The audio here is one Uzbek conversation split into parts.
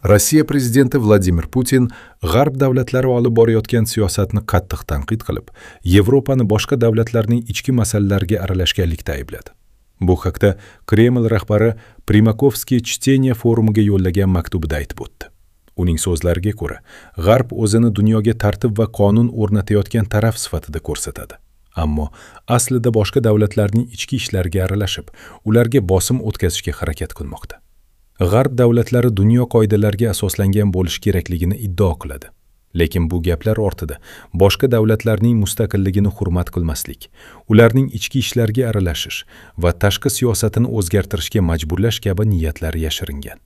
Rossiya prezidenti Vladimir Putin G'arb davlatlari olib borayotgan siyosatni qattiq tanqid qilib, Yevropani boshqa davlatlarning ichki masalalariga aralashganlikda aybladi. Bu haqda Kreml rahbari Primakovskiy чтения forumiga yo'llagan maktubida aytib o'tdi. Uning so'zlariga ko'ra, G'arb o'zini dunyoga tartib va qonun o'rnatayotgan taraf sifatida ko'rsatadi. Ammo aslida boshqa davlatlarning ichki ishlariga aralashib, ularga bosim o'tkazishga harakat qilmoqda. G'arb davlatlari dunyo qoidalariga asoslangan bo'lishi kerakligini iddao qiladi. Lekin bu gaplar ortida boshqa davlatlarning mustaqilligini hurmat qilmaslik, ularning ichki ishlariga aralashish va tashqi siyosatini o'zgartirishga majburlash kabi niyatlar yashiringan.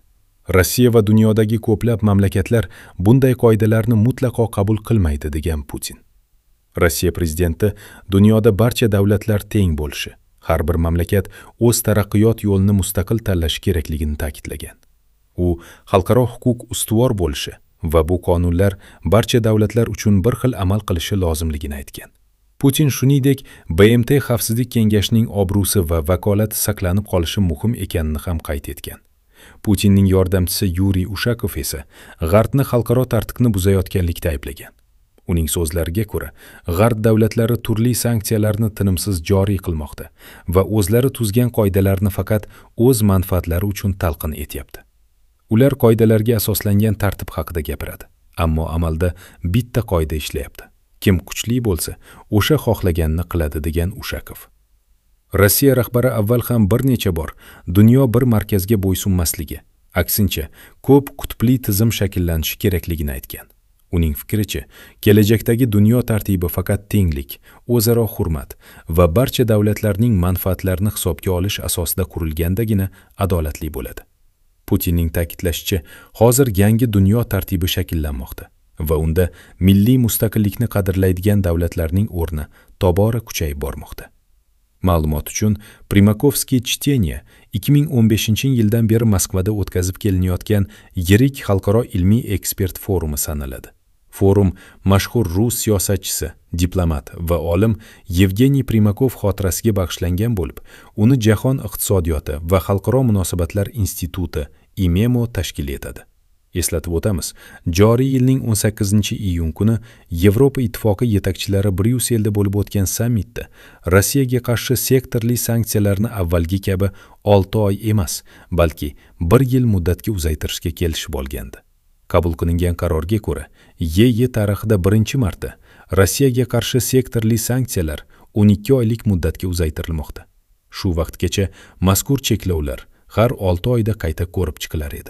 Rossiya va dunyodagi ko'plab mamlakatlar bunday qoidalarni mutlaqo qabul qilmaydi, degan Putin. Rossiya prezidenti dunyoda barcha davlatlar teng bo'lishi, har bir mamlakat o'z taraqqiyot yo'lini mustaqil tanlashi kerakligini ta'kidlagan. U xalqaro huquq ustuvor bo'lishi va bu qonunlar barcha davlatlar uchun bir xil amal qilishi lozimligini aytgan. Putin shuningdek BMT Xavfsizlik kengashining obro'si va vakolati saqlanib qolishi muhim ekanini ham qayd etgan. Putinning yordamchisi Yuriy Ushakov esa G'arbni xalqaro tartibni buzayotganlikda ayblagan. Uning so'zlariga ko'ra, G'arb davlatlari turli sanksiyalarni tinimsiz joriy qilmoqda va o'zlari tuzgan qoidalarni faqat o'z manfaatlari uchun talqin etyapti. Ular qoidalarga asoslangan tartib haqida gapiradi, ammo amalda bitta qoida ishlayapti. Kim kuchli bo'lsa, o'sha xohlaganini qiladi, degan Ushakov. Rossiya rahbari avval ham bir necha bor dunyo bir markazga bo'ysunmasligi, aksincha, ko'p qutbli tizim shakllanishi kerakligini aytgan. Uning fikricha, kelajakdagi dunyo tartibi faqat tenglik, o'zaro hurmat va barcha davlatlarning manfaatlarini hisobga olish asosida qurilgandagina adolatli bo'ladi. Putinning ta'kidlashicha, hozir yangi dunyo tartibi shakllanmoqda va unda milliy mustaqillikni qadrlaydigan davlatlarning o'rni tobora kuchayib bormoqda. Ma'lumot uchun, Primakovskiy чтения 2015-yildan beri Moskvada o'tkazib kelinayotgan yirik xalqaro ilmiy ekspert forumi sanaladi. Forum mashhur rus siyosatchisi, diplomat va olim Yevgeniy Primakov xotirasiga bag'ishlangan bo'lib, uni Jahon iqtisodiyoti va xalqaro munosabatlar instituti IMEMO tashkil etadi. Eslatib o'tamiz, joriy yilning 18-iyun kuni Yevropa Ittifoqi yetakchilari Bryusselda bo'lib o'tgan sammitda Rossiyaga qarshi sektorli sanksiyalarni avvalgi kabi 6 oy emas, balki 1 yil muddatga uzaytirishga kelishib olgandi. Qabul qilingan qarorga ko'ra, YeI tarixida birinchi marta Rossiyaga qarshi sektorli sanksiyalar 12 oylik muddatga uzaytirilmoqda. Shu vaqtgacha mazkur cheklovlar har 6 oyda qayta ko'rib chiqilar edi.